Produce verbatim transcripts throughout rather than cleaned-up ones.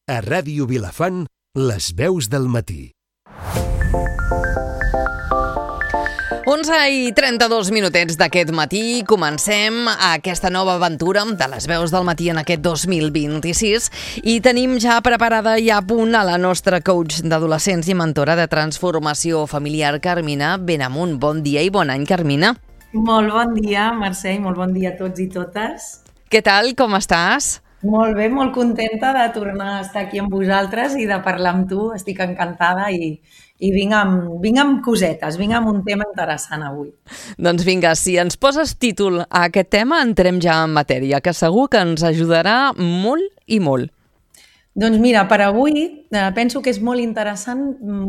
A Ràdio Vilafant, les veus del matí. onze i trenta-dos minutets d'aquest matí. Comencem aquesta nova aventura de les veus del matí en aquest dos mil vint-i-sis i tenim ja preparada i a punt a la nostra coach d'adolescents i mentora de transformació familiar, Carmina Benamunt. Bon dia i bon any, Carmina. Molt bon dia, Mercè, i molt bon dia a tots i totes. Què tal, com estàs? Molt bé, molt contenta de tornar a estar aquí amb vosaltres i de parlar amb tu. Estic encantada i, i vinc, amb, vinc amb cosetes, vinc amb un tema interessant avui. Doncs vinga, si ens poses títol a aquest tema, entrem ja en matèria, que segur que ens ajudarà molt i molt. Doncs mira, per avui eh, penso que és molt interessant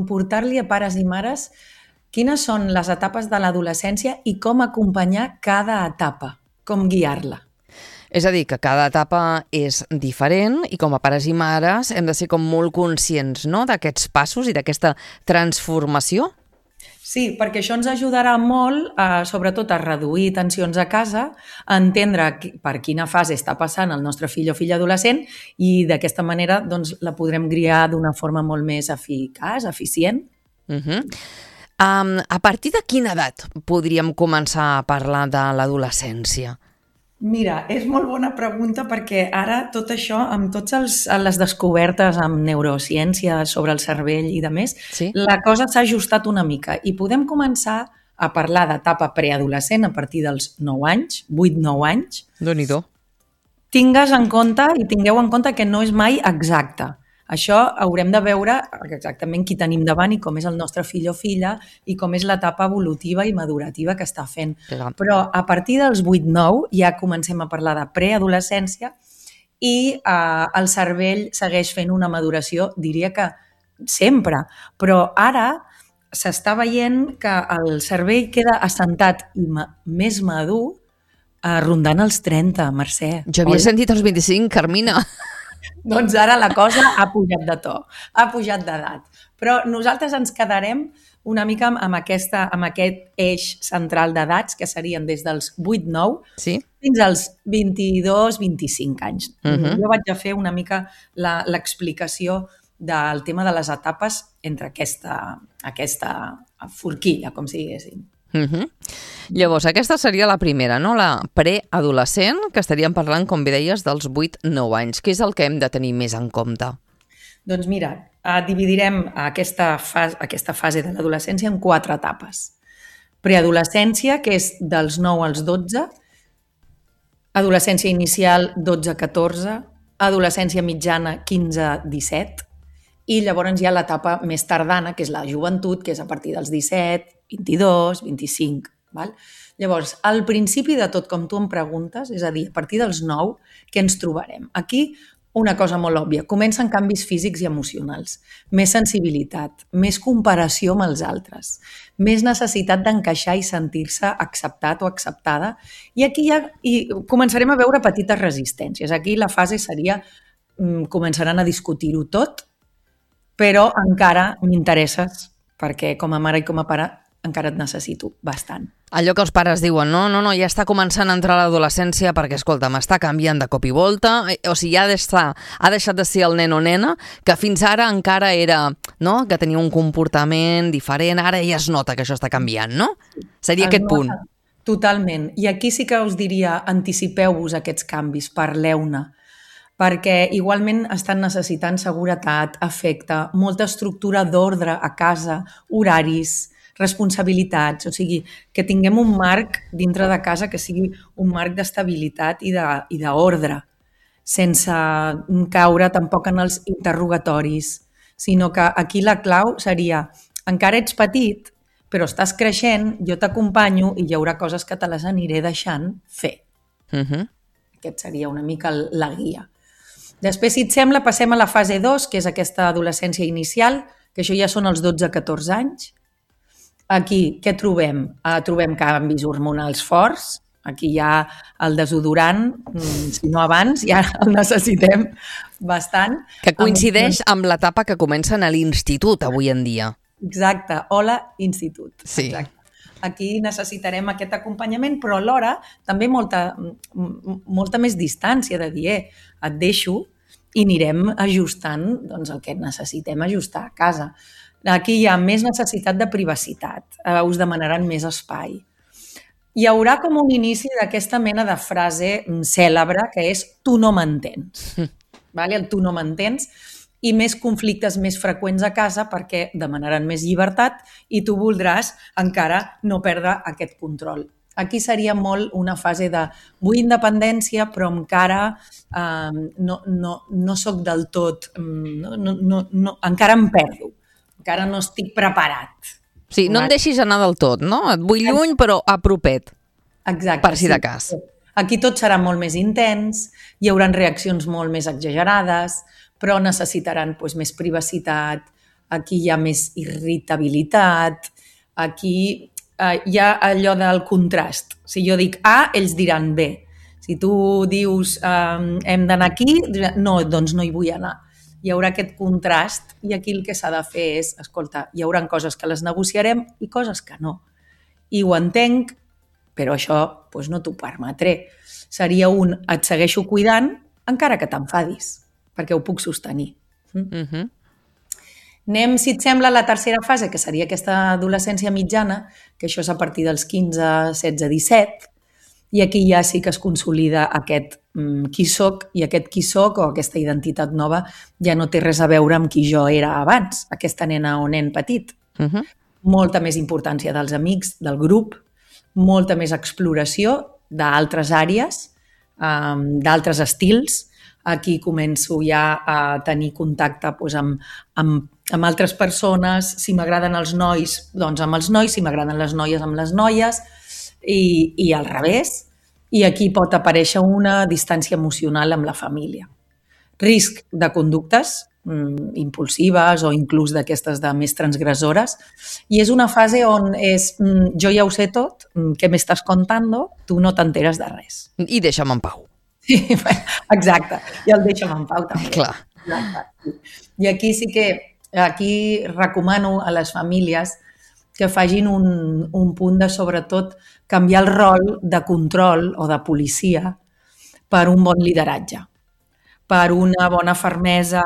portar-li a pares i mares quines són les etapes de l'adolescència i com acompanyar cada etapa, com guiar-la. És a dir, que cada etapa és diferent i com a pares i mares hem de ser com molt conscients, no?, d'aquests passos i d'aquesta transformació. Sí, perquè això ens ajudarà molt, eh, sobretot a reduir tensions a casa, a entendre per quina fase està passant el nostre fill o filla adolescent i d'aquesta manera doncs, la podrem guiar d'una forma molt més eficaç, eficient. Uh-huh. Um, a partir de quina edat podríem començar a parlar de l'adolescència? Mira, és molt bona pregunta perquè ara tot això, amb totes les descobertes amb neurociència sobre el cervell i de més, sí? La cosa s'ha ajustat una mica i podem començar a parlar d'etapa preadolescent a partir dels nou anys, vuit nou anys. Déu-n'hi-do. Tingues en compte i tingueu en compte que no és mai exacte. Això haurem de veure exactament qui tenim davant i com és el nostre fill o filla i com és l'etapa evolutiva i madurativa que està fent. Clar. Però a partir dels vuit nou ja comencem a parlar de preadolescència i eh, el cervell segueix fent una maduració, diria que sempre, però ara s'està veient que el cervell queda assentat i ma- més madur eh, rondant els trenta, Mercè. Jo havia Hola. sentit els vint-i-cinc, Carmina. Doncs ara la cosa ha pujat de to, ha pujat d'edat. Però nosaltres ens quedarem una mica amb, aquesta, amb aquest eix central d'edats, que serien des dels vuit nou sí? fins als vint-i-dos vint-i-cinc anys. Uh-huh. Jo vaig a fer una mica la, l'explicació del tema de les etapes entre aquesta, aquesta forquilla, com si diguéssim. Uh-huh. Llavors, aquesta seria la primera, no? La preadolescent, que estaríem parlant, com bé deies, dels vuit nou anys. Què és el que hem de tenir més en compte? Doncs mira, eh, dividirem aquesta fase, aquesta fase de l'adolescència en quatre etapes. Preadolescència, que és dels nou als dotze, adolescència inicial dotze a catorze, adolescència mitjana quinze a disset, i llavors hi ha l'etapa més tardana, que és la joventut, que és a partir dels disset, vint-i-dos, vint-i-cinc. Val? Llavors, al principi de tot, com tu em preguntes, és a dir, a partir dels nou, què ens trobarem? Aquí, una cosa molt òbvia, comencen canvis físics i emocionals, més sensibilitat, més comparació amb els altres, més necessitat d'encaixar i sentir-se acceptat o acceptada, i aquí ja i començarem a veure petites resistències. Aquí la fase seria, començaran a discutir-ho tot, però encara m'interesses, perquè com a mare i com a pare encara et necessito bastant. Allò que els pares diuen, no, no, no, ja està començant a entrar a l'adolescència perquè, escolta, m'està canviant de cop i volta, o sigui, ha, ha deixat de ser el nen o nena, que fins ara encara era, no?, que tenia un comportament diferent, ara ja es nota que això està canviant, no? Seria es aquest punt. Totalment. I aquí sí que us diria, anticipeu-vos aquests canvis, parleu-ne, perquè igualment estan necessitant seguretat, afecte, molta estructura d'ordre a casa, horaris, responsabilitats, o sigui, que tinguem un marc dintre de casa que sigui un marc d'estabilitat i d'ordre, sense caure tampoc en els interrogatoris, sinó que aquí la clau seria, encara ets petit, però estàs creixent, jo t'acompanyo i hi haurà coses que te les aniré deixant fer. Uh-huh. Aquest seria una mica la guia. Després, si et sembla, passem a la fase dos, que és aquesta adolescència inicial, que això ja són els dotze a catorze anys. Aquí, què trobem? Uh, trobem canvis hormonals forts. Aquí hi ha el desodorant, si no abans, ja el necessitem bastant. Que coincideix amb l'etapa que comencen a l'institut avui en dia. Exacte, hola, institut. Sí. Exacte. Aquí necessitarem aquest acompanyament, però alhora també molta, molta més distància de dir, eh, et deixo i anirem ajustant doncs, el que necessitem ajustar a casa. Aquí hi ha més necessitat de privacitat, eh, us demanaran més espai. Hi haurà com un inici d'aquesta mena de frase cèlebre que és tu no m'entens. Vale? El tu no m'entens i més conflictes més freqüents a casa perquè demanaran més llibertat i tu voldràs encara no perdre aquest control. Aquí seria molt una fase de vull independència però encara eh, no, no, no soc del tot, no, no, no, no, encara em perdo, encara no estic preparat. Sí, no em deixis anar del tot, no? Et vull lluny però apropet. Exacte. Per si de cas. Sí. Aquí tot serà molt més intens, hi haurà reaccions molt més exagerades, però necessitaran doncs, més privacitat, aquí hi ha més irritabilitat, aquí eh, hi ha allò del contrast. Si jo dic A, ells diran B. Si tu dius eh, hem d'anar aquí, no, doncs no hi vull anar. Hi haurà aquest contrast i aquí el que s'ha de fer és, escolta, hi haurà coses que les negociarem i coses que no. I ho entenc, però això doncs, no t'ho permetré. Seria un et segueixo cuidant encara que t'enfadis, perquè ho puc sostenir. Uh-huh. Anem, si et sembla, a la tercera fase, que seria aquesta adolescència mitjana, que això és a partir dels quinze, setze, disset, i aquí ja sí que es consolida aquest mm, qui soc, i aquest qui soc o aquesta identitat nova ja no té res a veure amb qui jo era abans, aquesta nena o nen petit. Uh-huh. Molta més importància dels amics, del grup, molta més exploració d'altres àrees, um, d'altres estils. Aquí començo ja a tenir contacte doncs, amb, amb, amb altres persones. Si m'agraden els nois, doncs amb els nois. Si m'agraden les noies, amb les noies. I, i al revés. I aquí pot aparèixer una distància emocional amb la família. Risc de conductes mm, impulsives o inclús d'aquestes de més transgressores. I és una fase on és mm, jo ja ho sé tot, mm, què m'estàs contando, tu no t'enteres de res. I deixa'm en pau. Sí, exacte. I el deixa'm en pau també. Clar. Exacte. I aquí sí que aquí recomano a les famílies que facin un, un punt de, sobretot, canviar el rol de control o de policia per un bon lideratge, per una bona fermesa,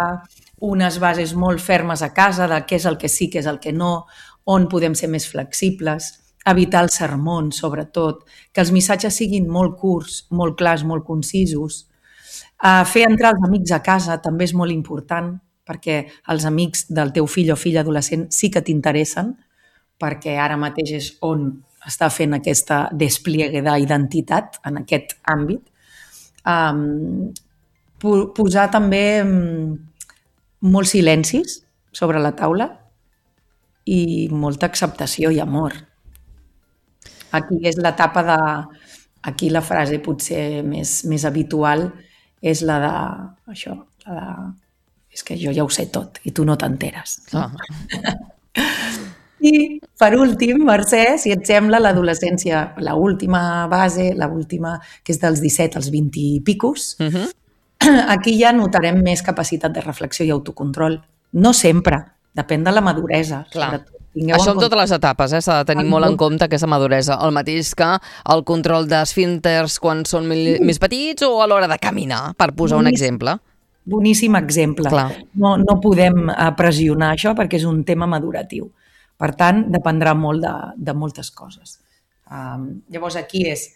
unes bases molt fermes a casa de què és el que sí, què és el que no, on podem ser més flexibles, evitar els sermons, sobretot, que els missatges siguin molt curts, molt clars, molt concisos. Uh, fer entrar els amics a casa també és molt important, perquè els amics del teu fill o filla adolescent sí que t'interessen, perquè ara mateix és on està fent aquesta despliegue d'identitat en aquest àmbit. Um, posar també um, molts silencis sobre la taula i molta acceptació i amor. Aquí és l'etapa de... Aquí la frase potser més, més habitual és la de... Això, la de... És que jo ja ho sé tot i tu no t'enteres. No? Ah. I, per últim, Mercè, si et sembla, l'adolescència, l'última base, l'última, que és dels disset als vint i picos, uh-huh. Aquí ja notarem més capacitat de reflexió i autocontrol. No sempre, depèn de la maduresa. Clar. Això en totes les etapes, eh? S'ha de tenir molt en compte aquesta maduresa. El mateix que el control d'esfínters quan són més petits o a l'hora de caminar, per posar un exemple. Boníssim exemple. Clar. No, no podem pressionar això perquè és un tema maduratiu. Per tant, dependrà molt de, de moltes coses. Um, llavors, aquí és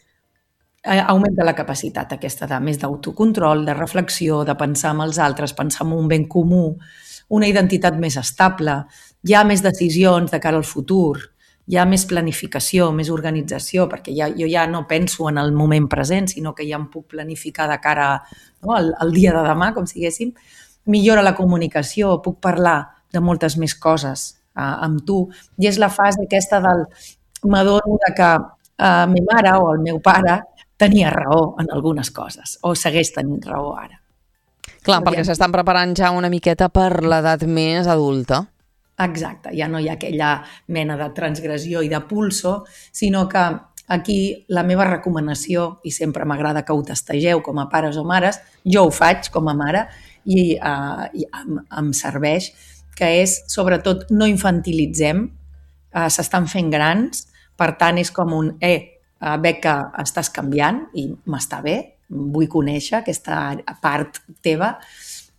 eh, augmenta la capacitat aquesta de més d'autocontrol, de reflexió, de pensar en els altres, pensar en un ben comú, una identitat més estable, hi ha més decisions de cara al futur, hi ha més planificació, més organització, perquè ja, jo ja no penso en el moment present, sinó que ja em puc planificar de cara, no, al, al dia de demà, com siguéssim. Millora la comunicació, puc parlar de moltes més coses amb tu, i és la fase aquesta del m'adono de que eh, mi mare o el meu pare tenia raó en algunes coses, o segueix tenint raó ara. Clar, perquè s'estan preparant ja una miqueta per l'edat més adulta. Exacte, ja no hi ha aquella mena de transgressió i de pulso, sinó que aquí la meva recomanació, i sempre m'agrada que ho tastegeu com a pares o mares, jo ho faig com a mare i, eh, i em, em serveix, que és, sobretot, no infantilitzem, eh, s'estan fent grans, per tant, és com un, eh, veig que estàs canviant i m'està bé, vull conèixer aquesta part teva,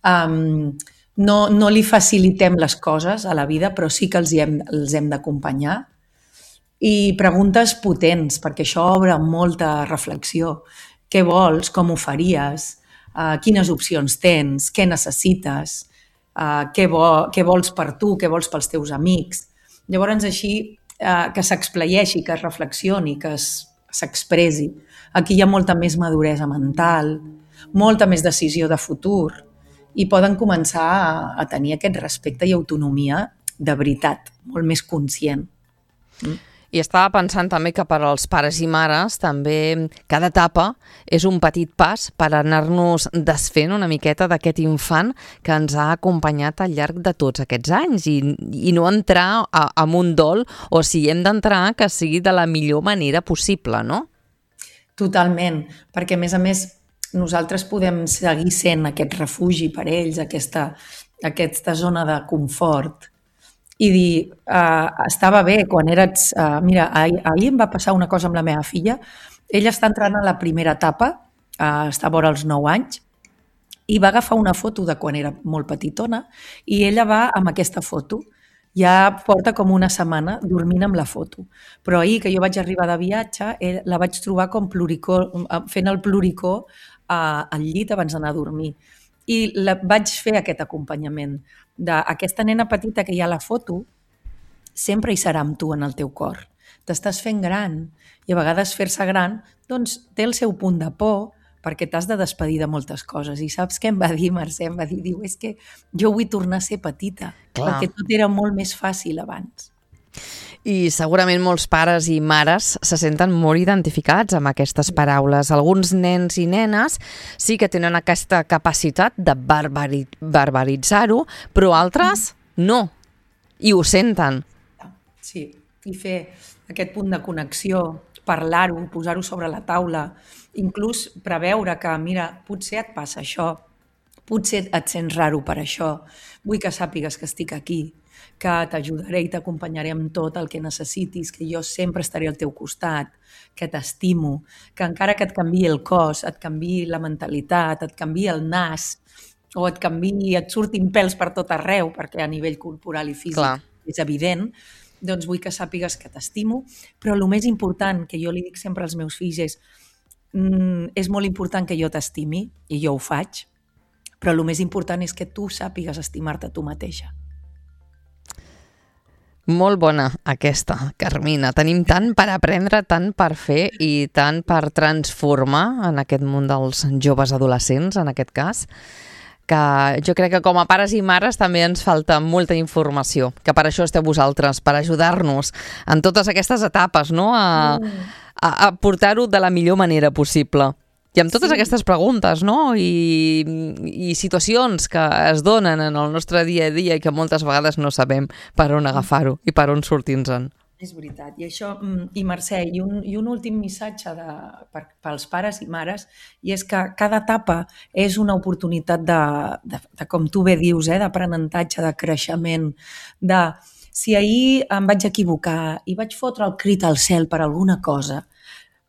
Um, no, no li facilitem les coses a la vida, però sí que els, hi hem, els hem d'acompanyar. I preguntes potents, perquè això obre molta reflexió. Què vols? Com ho faries? Uh, quines opcions tens? Què necessites? Uh, què, vo què vols per tu? Què vols pels teus amics? Llavors, així, uh, que s'explayeixi, que es reflexioni, que s'expressi. Aquí hi ha molta més maduresa mental, molta més decisió de futur i poden començar a, a tenir aquest respecte i autonomia de veritat, molt més conscient. Mm? I estava pensant també que per als pares i mares també cada etapa és un petit pas per anar-nos desfent una miqueta d'aquest infant que ens ha acompanyat al llarg de tots aquests anys i, i no entrar a, en un dol, o si hem d'entrar, que sigui de la millor manera possible, no? Totalment, perquè a més a més nosaltres podem seguir sent aquest refugi per ells, aquesta, aquesta zona de confort, i dir, uh, estava bé quan eres... Uh, mira, ahir, ahir em va passar una cosa amb la meva filla. Ella està entrant a la primera etapa, uh, està vora els nou anys, i va agafar una foto de quan era molt petitona i ella va amb aquesta foto. Ja porta com una setmana dormint amb la foto. Però ahir, que jo vaig arribar de viatge, la vaig trobar com pluricó, fent el pluricó uh, al llit abans d'anar a dormir. I la, vaig fer aquest acompanyament d'aquesta nena petita que hi ha a la foto, sempre hi serà amb tu en el teu cor. T'estàs fent gran i a vegades fer-se gran doncs, té el seu punt de por perquè t'has de despedir de moltes coses. I saps què em va dir, Mercè? Em va dir, diu, és que jo vull tornar a ser petita, clar, perquè tot era molt més fàcil abans. I segurament molts pares i mares se senten molt identificats amb aquestes paraules. Alguns nens i nenes sí que tenen aquesta capacitat de barbari barbaritzar-ho, però altres no, i ho senten. Sí, i fer aquest punt de connexió, parlar-ho, posar-ho sobre la taula, inclús preveure que, mira, potser et passa això, potser et sents raro per això, vull que sàpigues que estic aquí, que t'ajudaré i t'acompanyaré amb tot el que necessitis, que jo sempre estaré al teu costat, que t'estimo, que encara que et canviï el cos, et canviï la mentalitat, et canviï el nas, o et canviï, et surtin pèls per tot arreu, perquè a nivell corporal i físic Clar. És evident, doncs vull que sàpigues que t'estimo, però el més important, que jo li dic sempre als meus fills, és mm, és molt important que jo t'estimi, i jo ho faig, però el més important és que tu sàpigues estimar-te tu mateixa. Molt bona aquesta, Carmina. Tenim tant per aprendre, tant per fer i tant per transformar en aquest món dels joves adolescents, en aquest cas, que jo crec que com a pares i mares també ens falta molta informació, que per això esteu vosaltres, per ajudar-nos en totes aquestes etapes, no? a, a, a portar-ho de la millor manera possible. I amb totes sí. aquestes preguntes, no? I, i situacions que es donen en el nostre dia a dia i que moltes vegades no sabem per on agafar-ho i per on sortir-nos-en. És veritat. I això, i Mercè, i un, i un últim missatge de, per, pels pares i mares, i és que cada etapa és una oportunitat de, de, de com tu bé dius, eh, d'aprenentatge, de creixement, de si ahir em vaig equivocar i vaig fotre el crit al cel per alguna cosa,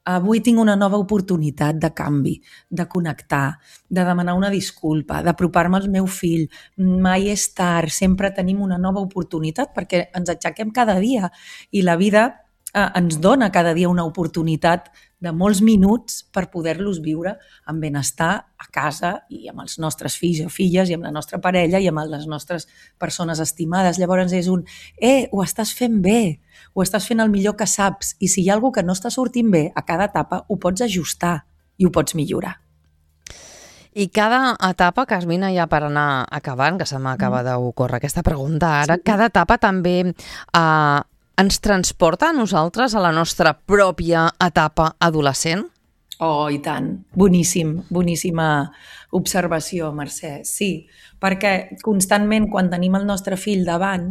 avui tinc una nova oportunitat de canvi, de connectar, de demanar una disculpa, d'apropar-me al meu fill. Mai és tard, sempre tenim una nova oportunitat perquè ens aixequem cada dia i la vida eh, ens dona cada dia una oportunitat de molts minuts per poder-los viure amb benestar a casa i amb els nostres fills o filles i amb la nostra parella i amb les nostres persones estimades. Llavors és un, eh, ho estàs fent bé, ho estàs fent el millor que saps i si hi ha alguna que no està sortint bé a cada etapa ho pots ajustar i ho pots millorar. I cada etapa, Carmina, ja per anar acabant, que se m'acaba mm. d'ocórrer aquesta pregunta ara, sí. cada etapa també eh, ens transporta a nosaltres a la nostra pròpia etapa adolescent? Oh, i tant. Boníssim, boníssima observació, Mercè. Sí, perquè constantment quan tenim el nostre fill davant,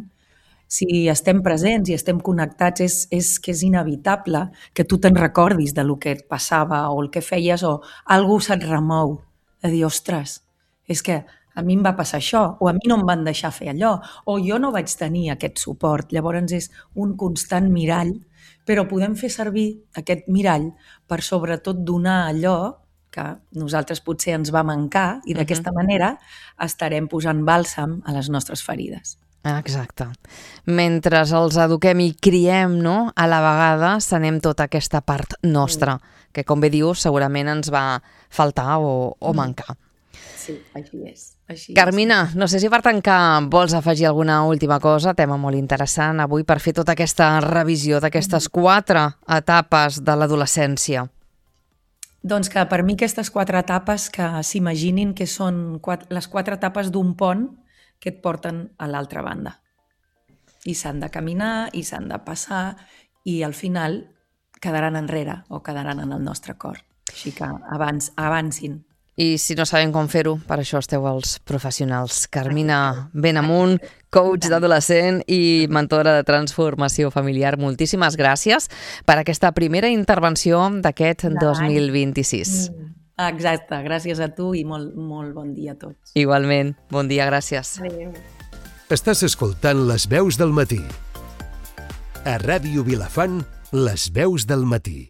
si estem presents i estem connectats, és, és que és inevitable que tu te'n recordis de lo que et passava o el que feies o algú se't remou. De dir, ostres, és que a mi em va passar això, o a mi no em van deixar fer allò, o jo no vaig tenir aquest suport. Llavors és un constant mirall, però podem fer servir aquest mirall per sobretot donar allò que que nosaltres potser ens va mancar i d'aquesta uh-huh. manera estarem posant bàlsam a les nostres ferides. Exacte. Mentre els eduquem i criem, no?, a la vegada sanem tota aquesta part nostra, mm. que, com bé dius, segurament ens va faltar o, o mancar. Sí, així és. Així Carmina, és. no sé si per tancar vols afegir alguna última cosa, tema molt interessant avui, per fer tota aquesta revisió d'aquestes quatre etapes de l'adolescència. Doncs que per mi aquestes quatre etapes que s'imaginin que són quatre, les quatre etapes d'un pont que et porten a l'altra banda. I s'han de caminar, i s'han de passar, i al final quedaran enrere o quedaran en el nostre cor. Així que abans, avancin. I si no sabem com fer-ho, per això esteu els professionals. Carmina Benamunt, coach d'adolescent i mentora de transformació familiar. Moltíssimes gràcies per aquesta primera intervenció d'aquest dos mil vint-i-sis. Exacte, gràcies a tu i molt, molt bon dia a tots. Igualment, bon dia, gràcies. Adéu. Estàs escoltant Les Veus del Matí. A Ràdio Vilafant, Les Veus del Matí.